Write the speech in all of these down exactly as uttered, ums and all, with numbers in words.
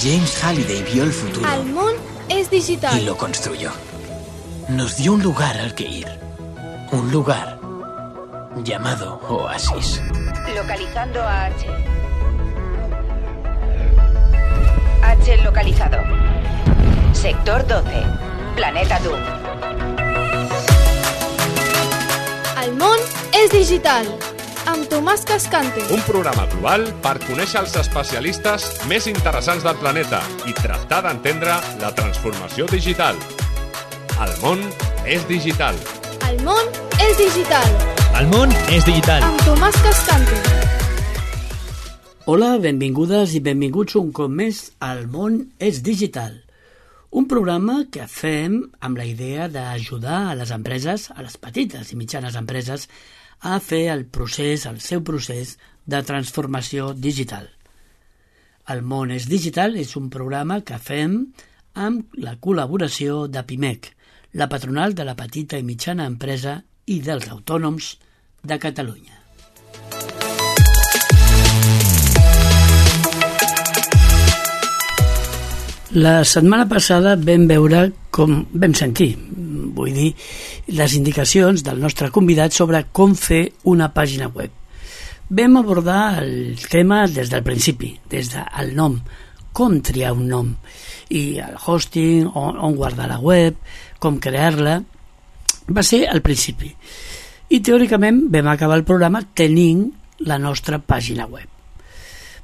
James Halliday vio el futuro. El món es digital. Y lo construyó. Nos dio un lugar al que ir. Un lugar llamado Oasis. Localizando a H. H localizado. Sector doce. Planeta Doom. El món és digital. Amb Tomàs Cascante. Un programa global per conèixer els especialistes més interessants del planeta i tractar d'entendre la transformació digital. El món és digital. El món és digital. El món és digital. Amb Tomàs Cascante. Hola, benvingudes i benvinguts un cop més al món és digital. Un programa que fem amb la idea d'ajudar a les empreses, a les petites i mitjanes empreses, a fer el procés, el seu procés de transformació digital. El món és digital és un programa que fem amb la col·laboració de Pimec, la patronal de la petita i mitjana empresa i dels autònoms de Catalunya. La setmana passada vam veure com vam sentir, vull dir, les indicacions del nostre convidat sobre com fer una pàgina web. Vam abordar el tema des del principi, des del nom, com triar un nom, i el hosting, on, on guardar la web, com crear-la, va ser al principi. I teòricament vam acabar el programa tenint la nostra pàgina web.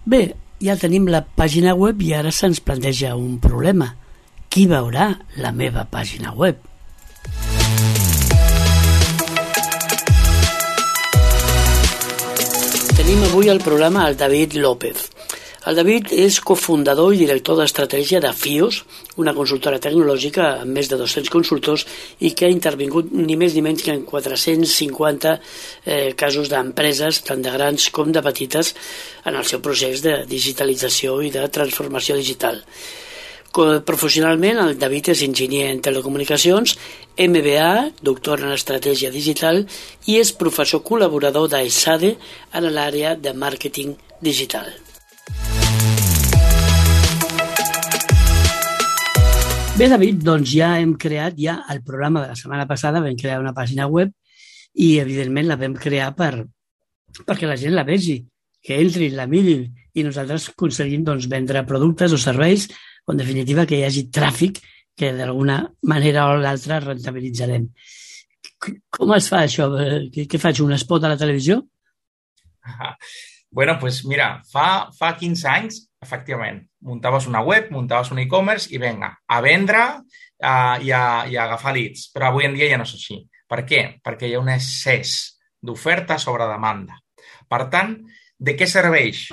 Bé, ja tenim la pàgina web i ara se'ns planteja un problema. Qui veurà la meva pàgina web? Tenim avui al programa el David López. El David és cofundador i director d'estratègia de FIOS, una consultora tecnològica amb més de dos-cents consultors i que ha intervingut ni més ni menys que en quatre-cents cinquanta eh, casos d'empreses, tant de grans com de petites, en el seu procés de digitalització i de transformació digital. Professionalment, el David és enginyer en telecomunicacions, M B A, doctor en estratègia digital i és professor col·laborador d'ESADE en l'àrea de màrqueting digital. Bé, David, doncs ja hem creat ja el programa de la setmana passada, vam crear una pàgina web i, evidentment, la vam crear per, perquè la gent la vegi, que entri, la mirin i nosaltres aconseguim doncs, vendre productes o serveis o, en definitiva, que hi hagi tràfic que d'alguna manera o l'altra rentabilitzarem. Com es fa això? Què faig, un spot a la televisió? Bueno, pues mira, fa, fa quinze anys, efectivament, muntaves una web, muntaves un e-commerce i vinga, a vendre uh, i, a, i a agafar leads. Però avui en dia ja no és així. Per què? Perquè hi ha un excés d'oferta sobre demanda. Per tant, de què serveix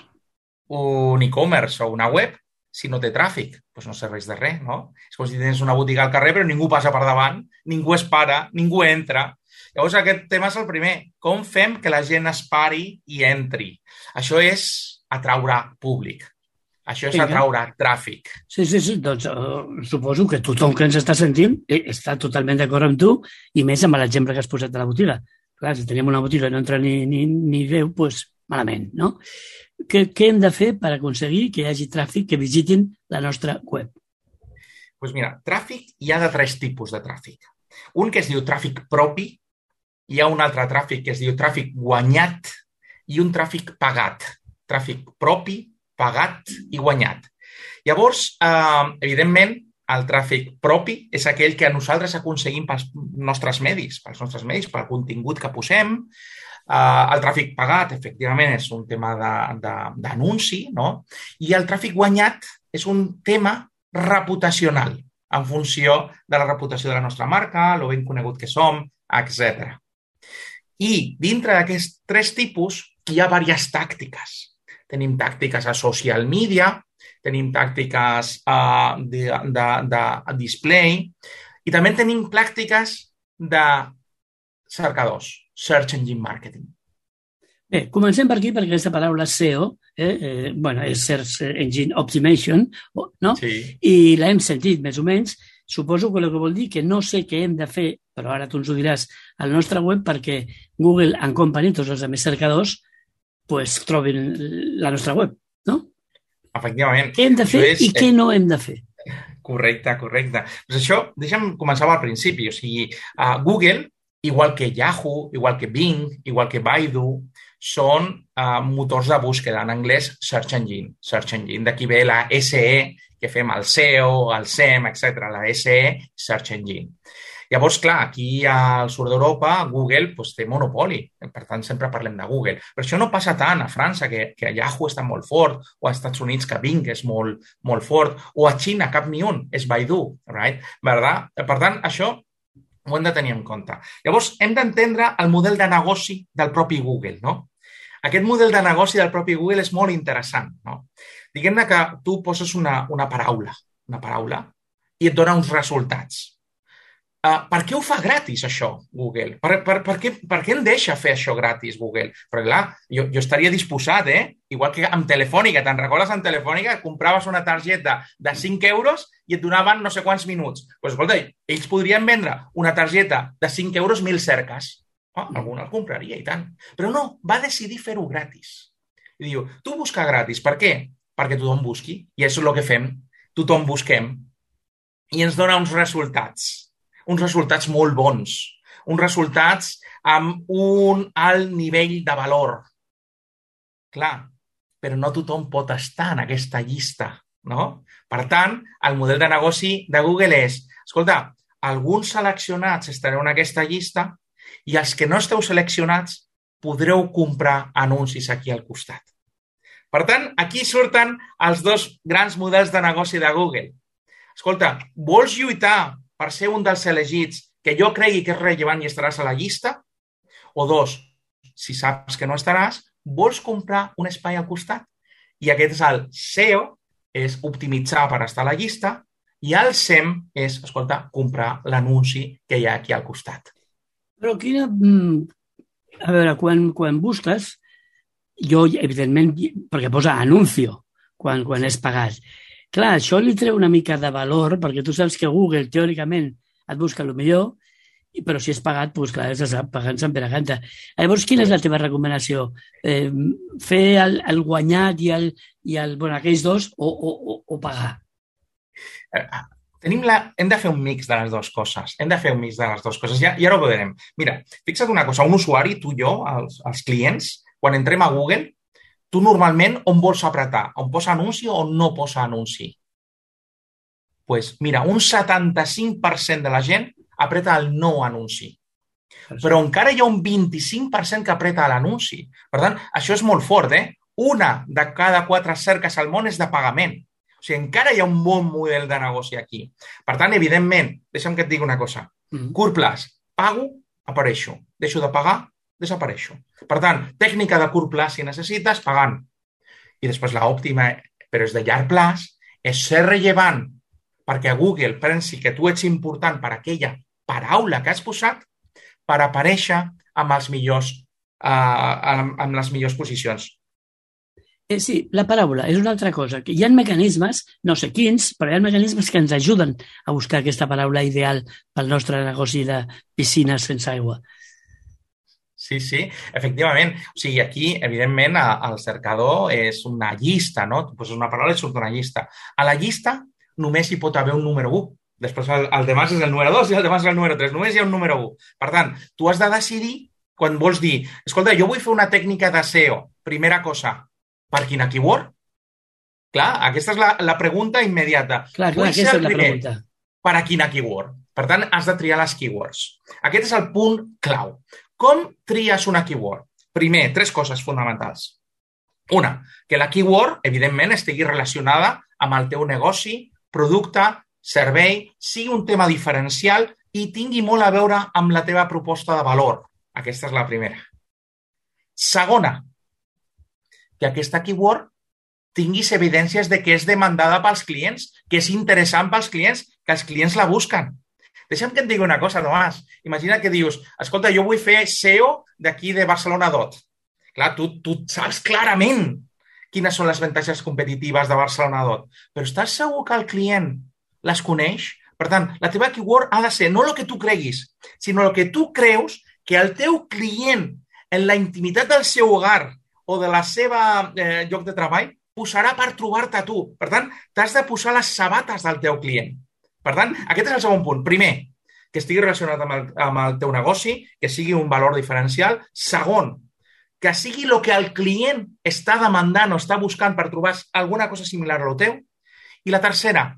un e-commerce o una web si no té tràfic? Doncs no serveix de res, no? És com si tens una botiga al carrer però ningú passa per davant, ningú es para, ningú entra. Llavors, aquest tema és el primer. Com fem que la gent es pari i entri? Això és atraure públic. Això és atraure tràfic. Sí, sí, sí. Doncs uh, suposo que tothom que ens està sentint està totalment d'acord amb tu i més amb l'exemple que has posat de la botiga. Clar, si tenim una botiga i no entra ni, ni, ni Déu, doncs malament, no? Què, què hem de fer per aconseguir que hi hagi tràfic que visitin la nostra web? Doncs mira, tràfic hi ha de tres tipus de tràfic. Un que es diu tràfic propi, hi ha un altre tràfic que es diu tràfic guanyat i un tràfic pagat. Tràfic propi, pagat i guanyat. Llavors, eh, evidentment, el tràfic propi és aquell que nosaltres aconseguim pels nostres medis, pels nostres medis, pel contingut que posem. Eh, el tràfic pagat, efectivament, és un tema d'anunci, no? I el tràfic guanyat és un tema reputacional, en funció de la reputació de la nostra marca, lo ben conegut que som, etcètera. I dintre d'aquests tres tipus hi ha diverses tàctiques. Tenim tàctiques a social media, tenim tàctiques uh, de, de, de display i també tenim pràctiques de cercadors, Search Engine Marketing. Bé, comencem per aquí perquè aquesta paraula S E O eh, eh, bueno, és Search Engine Optimization, no? Sí. I l'hem sentit més o menys. Suposo que el que vol dir que no sé què hem de fer, però ara tu ens ho diràs, al nostre web perquè Google and Company, tots els altres cercadors, pues, trobin la nostra web, no? efectivament. Què hem de fer és, i què no hem de fer? Correcte, correcte. Pues això, deixa'm començar al principi. O sigui, uh, Google, igual que Yahoo, igual que Bing, igual que Baidu, són uh, motors de búsqueda, en anglès Search Engine. Search Engine. D'aquí ve la S E, que fem el S E O, el S E M, etcètera. La S E, Search Engine. Llavors, clar, aquí al sud d'Europa, Google pues, té monopoli. Per tant, sempre parlem de Google. Però això no passa tant a França, que, que a Yahoo està molt fort, o als Estats Units, que Bing és molt, molt fort, o a Xina, cap ni un, és Baidu. Right? ¿Verdad? Per tant, això ho hem de tenir en compte. Llavors, hem d'entendre el model de negoci del propi Google. No? Aquest model de negoci del propi Google és molt interessant. No? Diguem-ne que tu poses una, una paraula, una paraula i et dona uns resultats. Uh, per què ho fa gratis, això, Google? Per, per, per, què, per què em deixa fer això gratis, Google? Perquè, clar, jo, jo estaria disposat, eh? Igual que amb Telefònica, te'n recordes amb Telefònica? Compraves una targeta de cinc euros i et donaven no sé quants minuts. Doncs, pues, escolta, ells podrien vendre una targeta de cinc euros mil cerques. Oh, algú el compraria, i tant. Però no, va decidir fer-ho gratis. I diu, tu busca gratis. Per què? Perquè tothom busqui. I això és el que fem. Tothom busquem. I ens dona uns resultats. Uns resultats molt bons, uns resultats amb un alt nivell de valor. Clar, però no tothom pot estar en aquesta llista, no? Per tant, el model de negoci de Google és, escolta, alguns seleccionats estareu en aquesta llista i els que no esteu seleccionats podreu comprar anuncis aquí al costat. Per tant, aquí surten els dos grans models de negoci de Google. Escolta, vols lluitar per ser un dels elegits que jo cregui que és rellevant i estaràs a la llista? O dos, si saps que no estaràs, vols comprar un espai al costat? I aquest és el S E O, és optimitzar per estar a la llista, i el S E M és, escolta, comprar l'anunci que hi ha aquí al costat. Però quina... A veure, quan, quan busques, jo, evidentment, perquè posa anuncio quan, quan és pagat. Clar, això li treu una mica de valor, perquè tu saps que Google, teòricament, et busca el millor, però si és pagat, doncs clar, és pagant se'n per a canta. Llavors, quina és la teva recomanació? Eh, fer el, el guanyat i, el, i el, bueno, aquells dos o, o, o pagar? Tenim la... Hem de fer un mix de les dues coses. Hem de fer un mix de les dues coses. Ja, ja ho veurem. Mira, fixa't una cosa. Un usuari, tu i jo, els, els clients, quan entrem a Google, tu normalment on vols apretar? On posa anunci o no posa anunci? Doncs pues mira, un setanta-cinc per cent de la gent apreta el no anunci. Però encara hi ha un vint-i-cinc per cent que apreta l'anunci. Per tant, això és molt fort, eh? Una de cada quatre cerques al món és de pagament. O sigui, encara hi ha un bon model de negoci aquí. Per tant, evidentment, deixa'm que et digui una cosa. Mm. Curt plaç, pago, apareixo. Deixo de pagar, desapareixo. Per tant, tècnica de curt plaç, si necessites, pagant. I després l'òptima, però és de llarg plaç, és ser rellevant perquè Google pensi que tu ets important per aquella paraula que has posat per aparèixer amb, els millors, uh, amb, amb les millors posicions. Eh, sí, la paraula és una altra cosa. Hi ha mecanismes, no sé quins, però hi ha mecanismes que ens ajuden a buscar aquesta paraula ideal pel nostre negoci de piscines sense aigua. Sí, sí, efectivament. O sigui, aquí, evidentment, el cercador és una llista, no? Tu poses una paraula i surt una llista. A la llista només hi pot haver un número u. Després el, el demás és el número dos i el demás és el número tres. Només hi ha un número u. Per tant, tu has de decidir quan vols dir, escolta, jo vull fer una tècnica de S E O. Primera cosa, per quina keyword? Clar, aquesta és la, la pregunta immediata. Clar, clar, aquesta és la pregunta. Per a quina keyword? Per tant, has de triar les keywords. Aquest és el punt clau. Com tries una keyword? Primer, tres coses fonamentals. Una, que la keyword, evidentment, estigui relacionada amb el teu negoci, producte, servei, sigui un tema diferencial i tingui molt a veure amb la teva proposta de valor. Aquesta és la primera. Segona, que aquesta keyword tinguis evidències de que és demandada pels clients, que és interessant pels clients, que els clients la busquen. Deixa'm que et digui una cosa, Tomàs. Imagina que dius, escolta, jo vull fer S E O d'aquí de Barcelona Dot. Clar, tu, tu saps clarament quines són les avantatges competitives de Barcelona Dot, però estàs segur que el client les coneix? Per tant, la teva keyword ha de ser no el que tu creguis, sinó el que tu creus que el teu client, en la intimitat del seu hogar o de la seva eh, lloc de treball, posarà per trobar-te a tu. Per tant, t'has de posar les sabates del teu client. Per tant, aquest és el segon punt. Primer, que estigui relacionat amb el, amb el teu negoci, que sigui un valor diferencial. Segon, que sigui el que el client està demandant o està buscant per trobar alguna cosa similar a lo teu. I la tercera,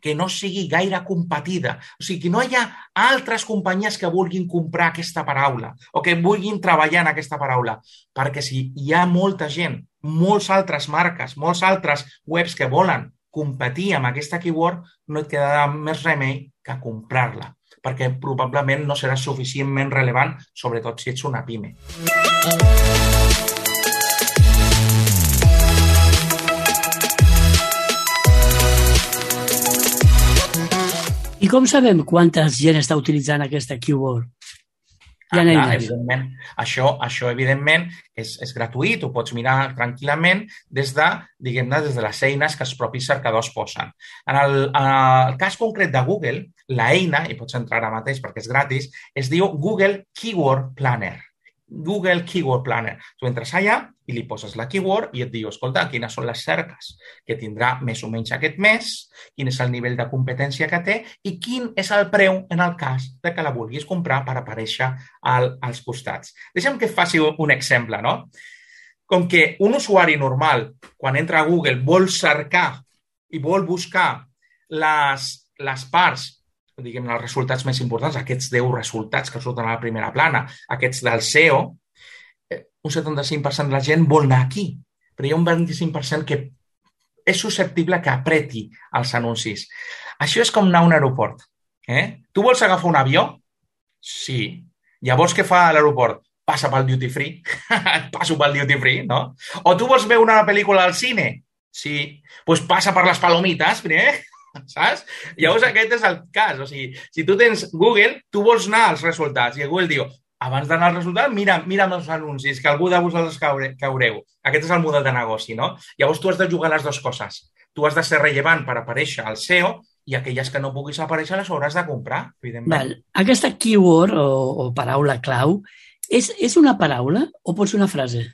que no sigui gaire competida. O sigui, que no hi ha altres companyies que vulguin comprar aquesta paraula o que vulguin treballar en aquesta paraula. Perquè si hi ha molta gent, molts altres marques, molts altres webs que volen competir amb aquesta keyword, no et quedarà més remei que comprar-la, perquè probablement no serà suficientment rellevant, sobretot si ets una pime. I com sabem quanta gent està utilitzant aquesta keyword? Hi ha Ah, clar, eines. evidentment, això, això evidentment és, és gratuït, ho pots mirar tranquil·lament des de, diguem-ne, des de les eines que els propis cercadors posen. En el, en el cas concret de Google, la eina, i pots entrar ara mateix perquè és gratis, es diu Google Keyword Planner. Google Keyword Planner. Tu entres allà i li poses la keyword i et diu, escolta, quines són les cerques que tindrà més o menys aquest mes, quin és el nivell de competència que té i quin és el preu en el cas de que la vulguis comprar per aparèixer al, als costats. Deixa'm que et faci un exemple, no? Com que un usuari normal, quan entra a Google, vol cercar i vol buscar les, les parts, diguem, els resultats més importants, aquests deu resultats que surten a la primera plana, aquests del S E O, un setanta-cinc per cent de la gent vol anar aquí, però hi ha un vint-i-cinc per cent que és susceptible que apreti els anuncis. Això és com anar a un aeroport. Eh? Tu vols agafar un avió? Sí. Llavors, què fa a l'aeroport? Passa pel duty free. Passo pel duty free, no? O tu vols veure una pel·lícula al cine? Sí. Doncs pues passa per les palomites, primer. Saps? Llavors aquest és el cas. O sigui, si tu tens Google, tu vols anar als resultats i Google diu, abans d'anar als resultats, mira, mira els anuncis, que algú de vosaltres caureu. Aquest és el model de negoci, no? Llavors tu has de jugar les dues coses. Tu has de ser rellevant per aparèixer al S E O i aquelles que no puguis aparèixer les hauràs de comprar, evidentment. Val. Aquesta keyword o, o paraula clau és, és una paraula o pot ser una frase?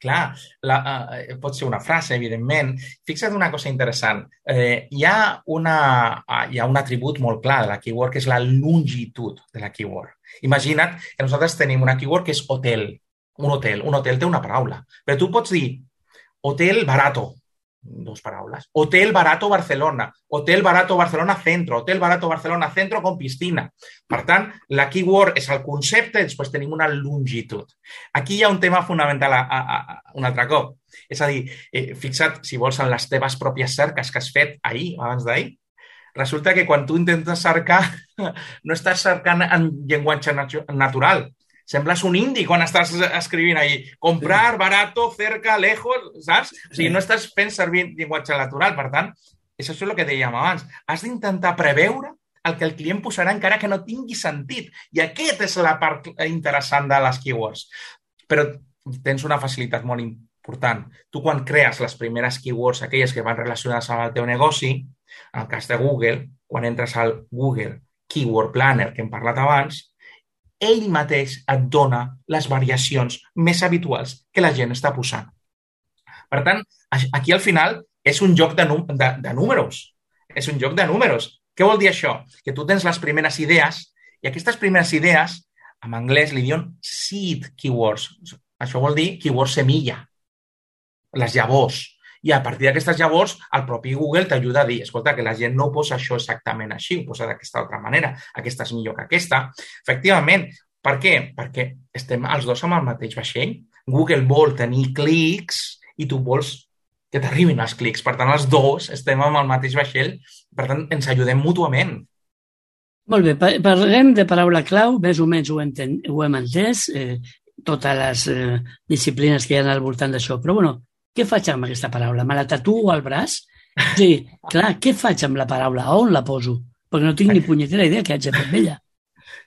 Clar, la, uh, pot ser una frase, evidentment. Fixa't una cosa interessant. Eh, hi, ha una, uh, hi ha un atribut molt clar de la keyword, que és la longitud de la keyword. Imagina't que nosaltres tenim una keyword que és hotel. Un hotel. Un hotel té una paraula. Però tu pots dir hotel barato, dos paraules. Hotel barato Barcelona. Hotel barato Barcelona centro. Hotel barato Barcelona centro con piscina. Per tant, la keyword és el concepte i després tenim una longitud. Aquí hi ha un tema fonamental a, a, a, un altre cop. És a dir, eh, fixa't, si vols, en les teves pròpies cerques que has fet ahir, abans d'ahir, resulta que quan tu intentes cercar, no estàs cercant en llenguatge natural. Sembles un indi quan estàs escrivint ahí. Comprar, barato, cerca, lejos, saps? O sigui, no estàs fent servir llenguatge natural. Per tant, és això el que dèiem abans. Has d'intentar preveure el que el client posarà encara que no tingui sentit. I aquesta és la part interessant de les keywords. Però tens una facilitat molt important. Tu, quan crees les primeres keywords, aquelles que van relacionades amb el teu negoci, en el cas de Google, quan entres al Google Keyword Planner que hem parlat abans, ell mateix et dona les variacions més habituals que la gent està posant. Per tant, aquí al final és un joc de, de, de números. És un joc de números. Què vol dir això? Que tu tens les primeres idees i aquestes primeres idees, en anglès li diuen seed keywords. Això vol dir keyword semilla, les llavors. I a partir d'aquestes llavors, el propi Google t'ajuda a dir, escolta, que la gent no posa això exactament així, ho posa d'aquesta altra manera, aquesta és millor que aquesta. Efectivament, per què? Perquè estem els dos amb el mateix vaixell. Google vol tenir clics i tu vols que t'arribin els clics. Per tant, els dos estem amb el mateix vaixell, per tant, ens ajudem mútuament. Molt bé, parlem de paraula clau, més o menys ho, enten, ho hem entès, eh, totes les eh, disciplines que hi ha al voltant d'això, però bueno, què faig amb aquesta paraula? Me la tatuo al braç? O sigui, clar, què faig amb la paraula? On la poso? Perquè no tinc ni punyetera idea què haig de fer amb ella.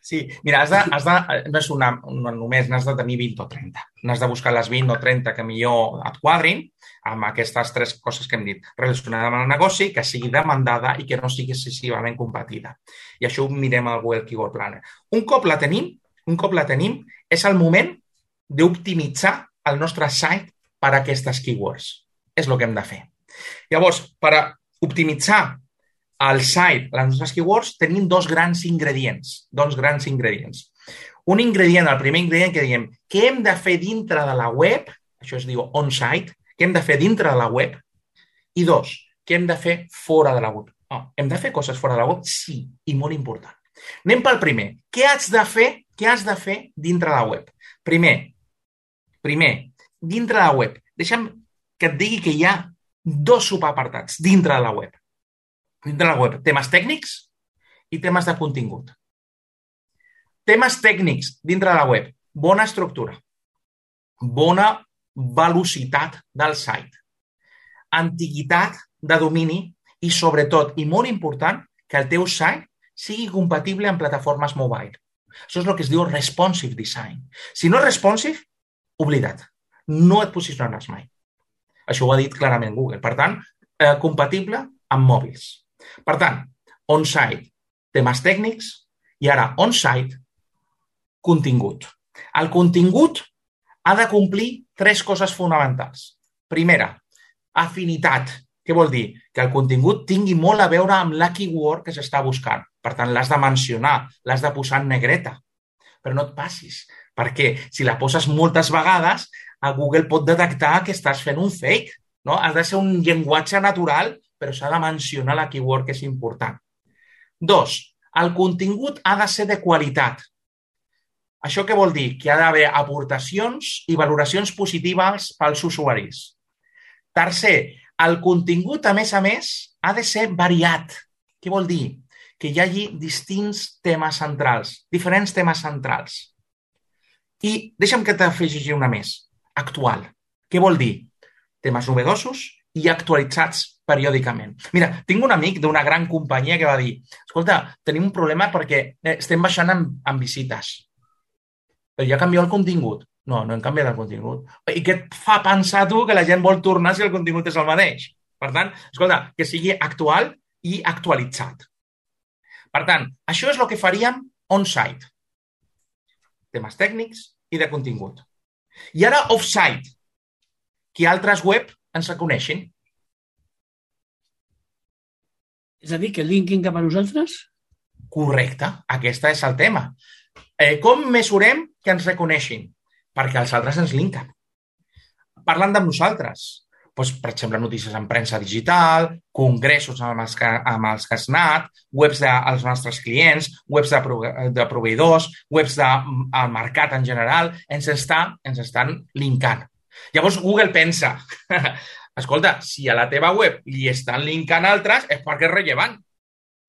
Sí, mira, has de, has de, no és una, no només n'has de tenir vint o trenta. N'has de buscar les vint o trenta que millor et quadrin amb aquestes tres coses que hem dit. Relacionada amb el negoci, que sigui demandada i que no sigui excessivament competida. I això ho mirem al Google Keyword Planner. Un cop la tenim, un cop la tenim, és el moment d'optimitzar el nostre site per a aquestes keywords. és el que hem de fer. Llavors, per optimitzar el site, les nostres keywords, tenim dos grans ingredients. Dos grans ingredients. Un ingredient, el primer ingredient que diem, què hem de fer dintre de la web, això es diu on-site, què hem de fer dintre de la web, i dos, què hem de fer fora de la web. Oh, hem de fer coses fora de la web? Sí, i molt important. Anem pel primer. Què has de fer, què has de fer dintre de la web? Primer, primer, dintre de la web, deixa'm que et digui que hi ha dos subapartats dintre de la web. Dintre de la web, temes tècnics i temes de contingut. Temes tècnics dintre de la web, bona estructura, bona velocitat del site, antiguitat de domini i, sobretot, i molt important, que el teu site sigui compatible amb plataformes mobile. Això és el que es diu responsive design. Si no és responsive, oblida't. No et posicionaràs mai. Això ho ha dit clarament Google. Per tant, eh, compatible amb mòbils. Per tant, on-site, temes tècnics i ara on-site, contingut. El contingut ha de complir tres coses fonamentals. Primera, afinitat. Què vol dir? Que el contingut tingui molt a veure amb la keyword que s'està buscant. Per tant, l'has de mencionar, l'has de posar en negreta. Però no et passis, perquè si la poses moltes vegades, a Google pot detectar que estàs fent un fake. No? Has de ser un llenguatge natural, però s'ha de mencionar la keyword que és important. Dos, el contingut ha de ser de qualitat. Això què vol dir? Que ha d'haver aportacions i valoracions positives pels usuaris. Tercer, el contingut, a més a més, ha de ser variat. Què vol dir? Que hi hagi distints temes centrals, diferents temes centrals. I deixa'm que t'afegeixi una més, actual. Què vol dir? Temes novedosos i actualitzats periòdicament. Mira, tinc un amic d'una gran companyia que va dir, escolta, tenim un problema perquè estem baixant en, en visites. Però ja canviat el contingut. No, no hem canviat el contingut. I què et fa pensar tu que la gent vol tornar si el contingut és el mateix? Per tant, escolta, que sigui actual i actualitzat. Per tant, això és el que faríem on-site. Temes tècnics i de contingut. I ara off-site, que altres web ens reconeixin. És a dir, que linkin cap a nosaltres? Correcte, aquest és el tema. Eh, com mesurem que ens reconeixin? Perquè els altres ens linken. Parlant de nosaltres. Doncs, per exemple, notícies en premsa digital, congressos amb els que, amb els que has anat, webs dels de, nostres clients, webs de, de proveïdors, webs del de, mercat en general, ens, està, ens estan linkant. Llavors Google pensa, escolta, si a la teva web li estan linkant altres, és perquè és rellevant.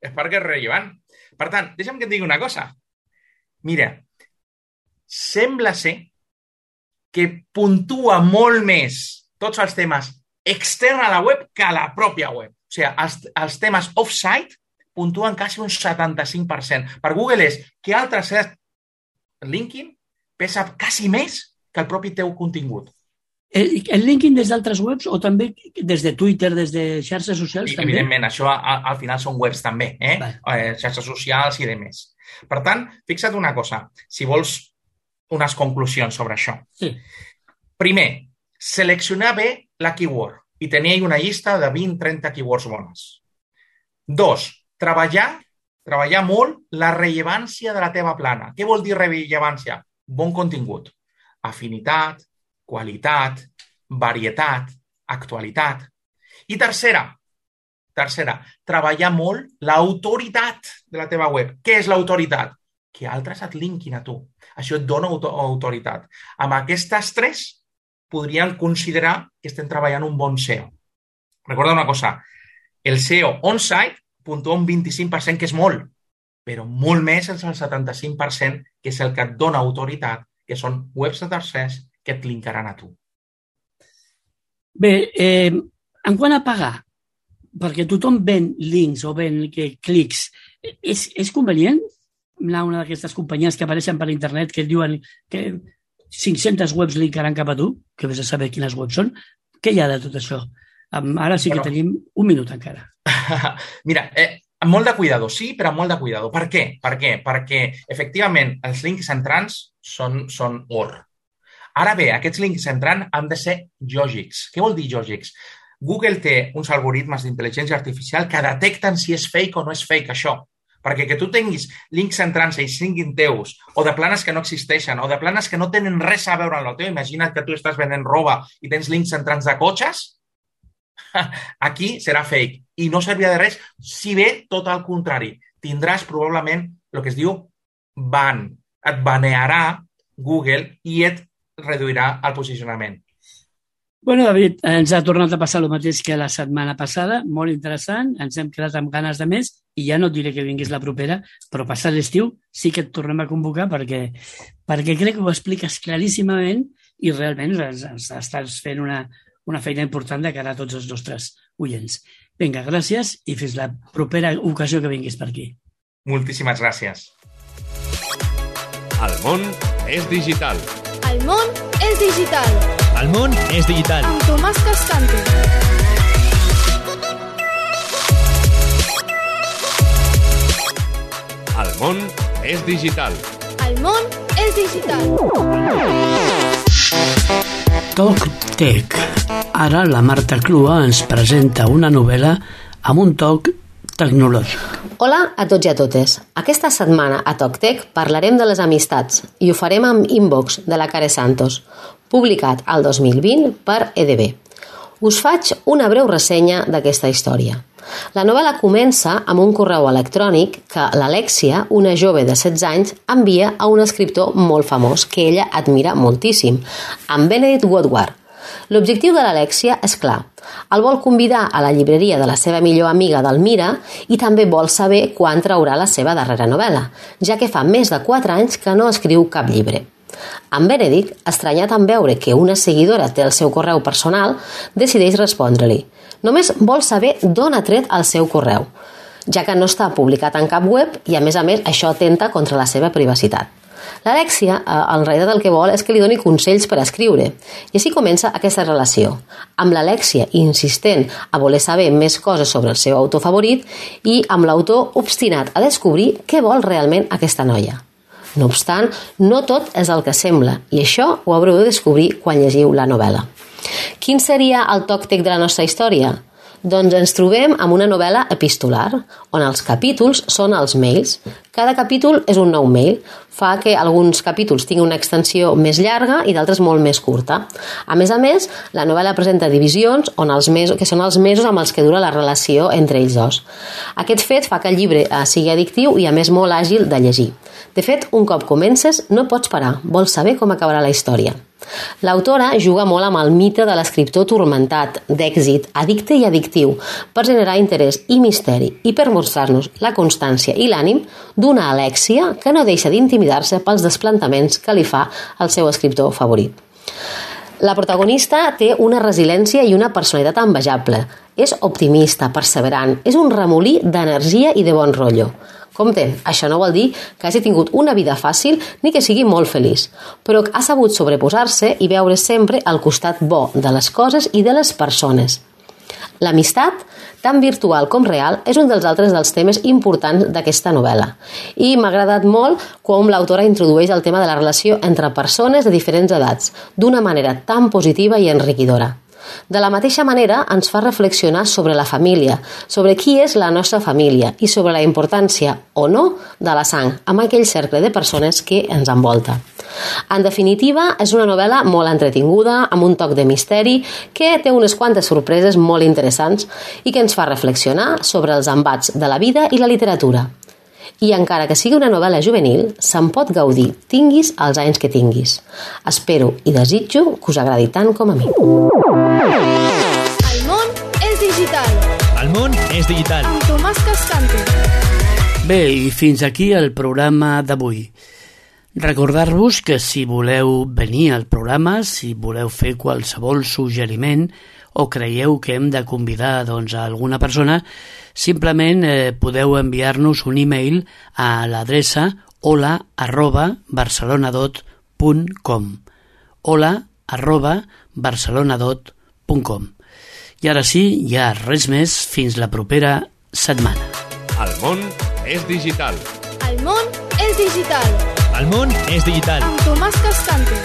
És perquè és rellevant. Per tant, deixa'm que et digui una cosa. Mira, sembla ser que puntua molt més tots els temes externs a la web que a la pròpia web. O sigui, els, els temes off-site puntuen quasi un setanta-cinc per cent. Per Google és que altres linking pesa quasi més que el propi teu contingut. El, el linking des d'altres webs o també des de Twitter, des de xarxes socials? I, també? Evidentment, això a, al final són webs també, eh? eh xarxes socials i demés. Per tant, fixa't una cosa, si vols unes conclusions sobre això. Sí. Primer, seleccionar bé la keyword i tenir una llista de vint a trenta keywords bones. Dos, treballar, treballar molt la rellevància de la teva plana. Què vol dir rellevància? Bon contingut, afinitat, qualitat, varietat, actualitat. I tercera, tercera, treballar molt l'autoritat de la teva web. Què és l'autoritat? Que altres et linkin a tu. Això et dona autoritat. Amb aquestes tres podríem considerar que estem treballant un bon S E O. Recorda una cosa, el S E O on-site puntua un vint-i-cinc per cent, que és molt, però molt més és el setanta-cinc per cent, que és el que et dona autoritat, que són webs de tercers que et linkaran a tu. Bé, eh, en quant a pagar, perquè tothom ven links o ven que, clics, és, és convenient anar a una d'aquestes companyies que apareixen per internet que et diuen que cinc-centes webs linkaran cap a tu, que vés a saber quines webs són? Què hi ha de tot això? Ara sí que bueno, tenim un minut encara. Mira, eh, amb molt de cuidado, sí, però amb molt de cuidado. Per què? Per què? Perquè, efectivament, els links entrants són, són or. Ara bé, aquests links entrants han de ser lògics. Què vol dir lògics? Google té uns algoritmes d'intel·ligència artificial que detecten si és fake o no és fake, això. Perquè que tu tinguis links entrants i siguin teus, o de planes que no existeixen, o de planes que no tenen res a veure amb el teu. Imagina't que tu estàs venent roba i tens links entrants de cotxes. Aquí serà fake i no servirà de res, si bé tot el contrari. Tindràs probablement el que es diu ban. Et banearà Google i et reduirà el posicionament. Bueno, David, ens ha tornat a passar el mateix que la setmana passada, molt interessant, ens hem quedat amb ganes de més i ja no et diré que vinguis la propera, però passat l'estiu sí que et tornem a convocar perquè, perquè crec que ho expliques claríssimament i realment estàs fent una, una feina important de cara a tots els nostres oients. Vinga, gràcies i fins la propera ocasió que vinguis per aquí. Moltíssimes gràcies. El món és digital. El món és digital. El món és digital. Amb Tomàs Cascante. El món és digital. El món és digital. TalkTech. Ara la Marta Clua ens presenta una novel·la amb un toc tecnològic. Hola a tots i a totes. Aquesta setmana a TalkTech parlarem de les amistats i ho farem amb Inbox de la Care Santos, publicat al dos mil vint per E D B. Us faig una breu ressenya d'aquesta història. La novel·la comença amb un correu electrònic que l'Alexia, una jove de setze anys, envia a un escriptor molt famós que ella admira moltíssim, en Benedict Woodward. L'objectiu de l'Alexia és clar. El vol convidar a la llibreria de la seva millor amiga Delmira i també vol saber quan traurà la seva darrera novel·la, ja que fa més de quatre anys que no escriu cap llibre. En Benedict, estranyat en veure que una seguidora té el seu correu personal, decideix respondre-li. Només vol saber d'on ha tret el seu correu, ja que no està publicat en cap web i, a més a més, això atenta contra la seva privacitat. L'Alexia, en realitat, el que vol és que li doni consells per escriure. I així comença aquesta relació, amb l'Alexia insistent a voler saber més coses sobre el seu autor favorit i amb l'autor obstinat a descobrir què vol realment aquesta noia. No obstant, no tot és el que sembla, i això ho haureu de descobrir quan llegiu la novel·la. Quin seria el TalkTech de la nostra història? Doncs ens trobem amb una novel·la epistolar, on els capítols són els mails. Cada capítol és un nou mail. Fa que alguns capítols tinguin una extensió més llarga i d'altres molt més curta. A més a més, la novel·la presenta divisions on els mesos, que són els mesos amb els que dura la relació entre ells dos. Aquest fet fa que el llibre sigui addictiu i a més molt àgil de llegir. De fet, un cop comences, no pots parar, vols saber com acabarà la història. L'autora juga molt amb el mite de l'escriptor turmentat, d'èxit, addicte i addictiu, per generar interès i misteri i per mostrar-nos la constància i l'ànim d'una Alexia que no deixa d'intimidar-se pels desplantaments que li fa el seu escriptor favorit. La protagonista té una resiliència i una personalitat envejable. És optimista, perseverant, és un remolí d'energia i de bon rotllo. Compte, això no vol dir que hagi tingut una vida fàcil ni que sigui molt feliç, però ha sabut sobreposar-se i veure sempre el costat bo de les coses i de les persones. L'amistat, tant virtual com real, és un dels altres dels temes importants d'aquesta novel·la. I m'ha agradat molt com l'autora introdueix el tema de la relació entre persones de diferents edats, d'una manera tan positiva i enriquidora. De la mateixa manera, ens fa reflexionar sobre la família, sobre qui és la nostra família i sobre la importància, o no, de la sang amb aquell cercle de persones que ens envolta. En definitiva, és una novel·la molt entretinguda, amb un toc de misteri, que té unes quantes sorpreses molt interessants i que ens fa reflexionar sobre els embats de la vida i la literatura. I encara que sigui una novel·la juvenil, se'n pot gaudir, tinguis els anys que tinguis. Espero i desitjo que us agradi tant com a mi. El món és digital. El món és digital. Amb Tomàs Cascante. Bé, i fins aquí el programa d'avui. Recordar-vos que si voleu venir al programa, si voleu fer qualsevol suggeriment o creieu que hem de convidar doncs, a alguna persona, simplement eh, podeu enviar-nos un e-mail a l'adreça hola arroba barcelonadot punt com hola arroba barcelonadot punt com. I ara sí, ja res més, fins la propera setmana. El món és digital. El món és digital. El món és digital. Amb Tomàs Cascante.